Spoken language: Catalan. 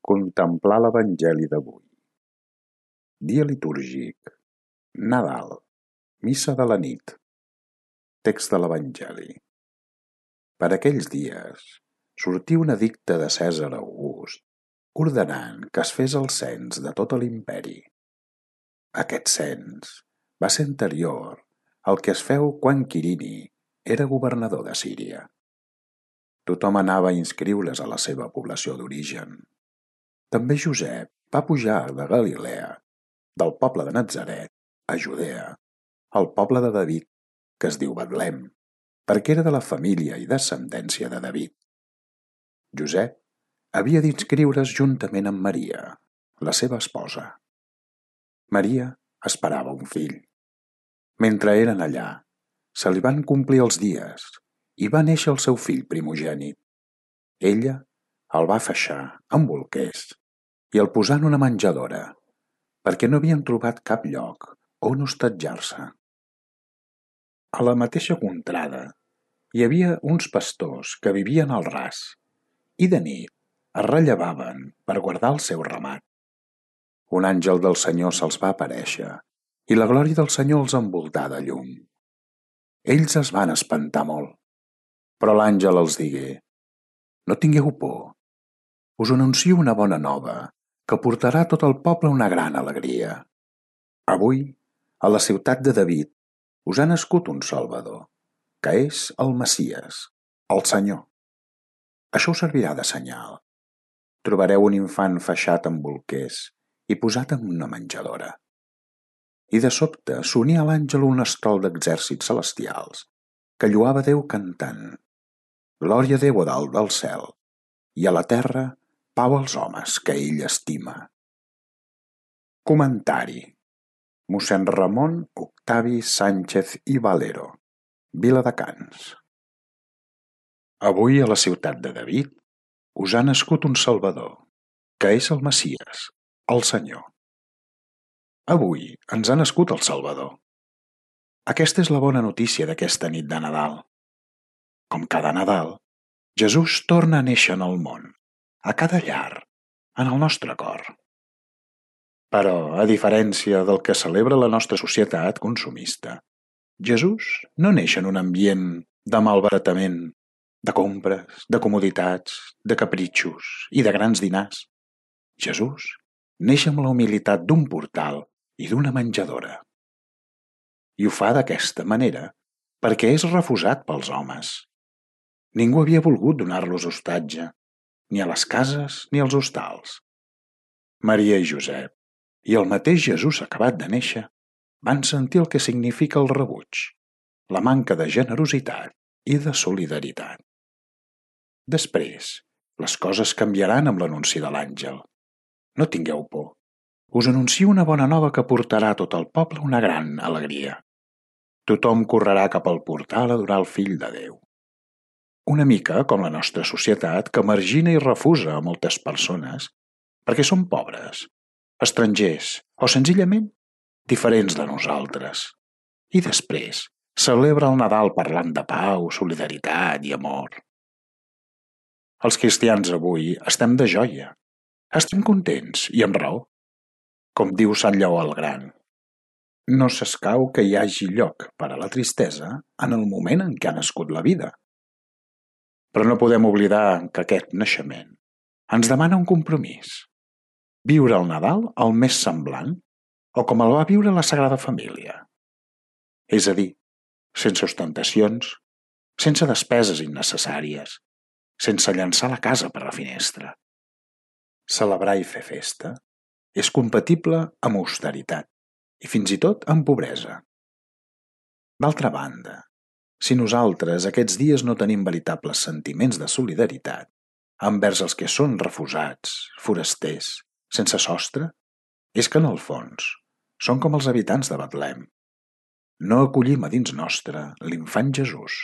Contemplar l'Evangeli d'avui. Dia litúrgic. Nadal. Missa de la nit. Text de l'Evangeli. Per aquells dies sortí un edicte de Cèsar August ordenant que es fes el cens de tot l'imperi. Aquest cens va ser anterior al que es feu quan Quirini era governador de Síria. Tothom anava a inscriure's a la seva població d'origen. També Josep va pujar de Galilea, del poble de Natzaret, a Judea, al poble de David, que es diu Betlem, perquè era de la família i descendència de David. Josep havia d'inscriure's juntament amb Maria, la seva esposa. Maria esperava un fill. Mentre eren allà, se li van complir els dies i va néixer el seu fill primogènit. Ella el va feixar amb bolquers i el posà en una menjadora, perquè no havien trobat cap lloc on hostatjar-se. A la mateixa contrada hi havia uns pastors que vivien al ras i de nit es rellevaven per guardar el seu ramat. Un àngel del Senyor se'ls va aparèixer i la glòria del Senyor els envoltà de llum. Ells es van espantar molt, però l'àngel els digué: «No tingueu por, us anuncio una bona nova que portarà a tot el poble una gran alegria. Avui, a la ciutat de David, us ha nascut un Salvador, que és el Messies, el Senyor. Això us servirà de senyal. Trobareu un infant feixat amb bolquers i posat en una menjadora». I de sobte s'uní a l'àngel un estrol d'exèrcits celestials que lloava Déu cantant: «Glòria a Déu a dalt del cel i a la terra pau als homes que ell estima». Comentari. Mossèn Ramon Octavi Sánchez i Valero, Viladecans. Avui a la ciutat de David us ha nascut un Salvador, que és el Messies, el Senyor. Avui ens ha nascut el Salvador. Aquesta és la bona notícia d'aquesta nit de Nadal. Com cada Nadal, Jesús torna a néixer en el món, a cada llar, en el nostre cor. Però, a diferència del que celebra la nostra societat consumista, Jesús no neix en un ambient de malbaratament, de compres, de comoditats, de capritxos i de grans dinars. Jesús neix amb la humilitat d'un portal i d'una menjadora. I ho fa d'aquesta manera perquè és refusat pels homes. Ningú havia volgut donar-los hostatge, ni a les cases ni als hostals. Maria i Josep, i el mateix Jesús acabat de néixer, van sentir el que significa el rebuig, la manca de generositat i de solidaritat. Després, les coses canviaran amb l'anunci de l'àngel. No tingueu por. Us anuncio una bona nova que portarà a tot el poble una gran alegria. Tothom correrà cap al portal a adorar el Fill de Déu. Una mica com la nostra societat, que margina i refusa a moltes persones perquè són pobres, estrangers o senzillament diferents de nosaltres. I després celebra el Nadal parlant de pau, solidaritat i amor. Els cristians avui estem de joia. Estem contents i amb raó. Com diu Sant Lleó el Gran, no s'escau que hi hagi lloc per a la tristesa en el moment en què ha nascut la vida. Però no podem oblidar que aquest naixement ens demana un compromís. Viure el Nadal el més semblant o com el va viure la Sagrada Família. És a dir, sense ostentacions, sense despeses innecessàries, sense llançar la casa per la finestra. Celebrar i fer festa és compatible amb austeritat i fins i tot amb pobresa. D'altra banda, si nosaltres aquests dies no tenim veritables sentiments de solidaritat envers els que són refusats, forasters, sense sostre, és que en el fons són com els habitants de Betlem. No acollim a dins nostre l'infant Jesús.